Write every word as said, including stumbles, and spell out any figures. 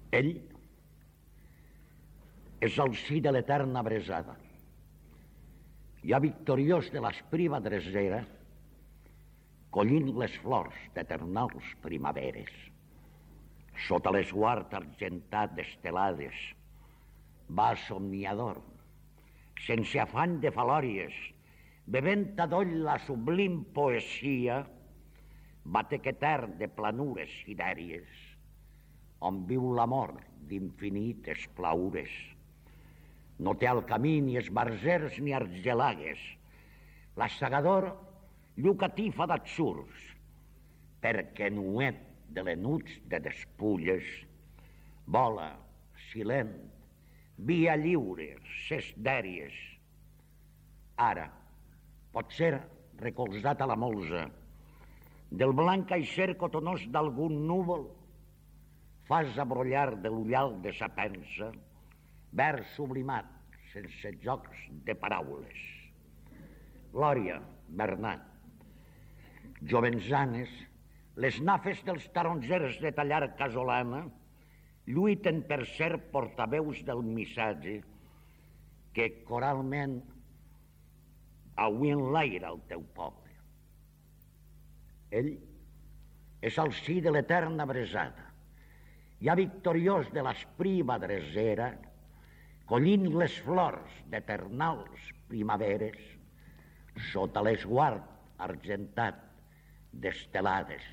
Ell és al si de l'eterna bresada, ja victoriós de l'espriva dresera, collint les flors d'eternals primaveres. Sota l'esguard argentat d'estelades, va somniador, sense afany de falòries, bevent adoll la sublim poesia, batec etern de planures sidèries, on viu l'amor d'infinites plaures. No té al camí ni esbarzers ni argelagues, l'assegador llucatifa d'atzurs, perquè nuet de l'enuig de despulles, vola, silent, via lliure, ses dèries. Ara, potser recolzat a la molsa, del blanc aixer cotonós d'algun núvol, fas abrollar de l'ullal de sa pensa, vers sublimat, sense jocs de paraules. Glòria, Bernat, jovenzanes, les nafes dels tarongers de tallar casolana lluiten per ser portaveus del missatge que coralment avui enlaira el teu poble. Ell és al si de l'eterna bresada, ja victoriós de l'espriva dresera, collint les flors d'eternals primaveres sota l'esguard argentat d'estelades.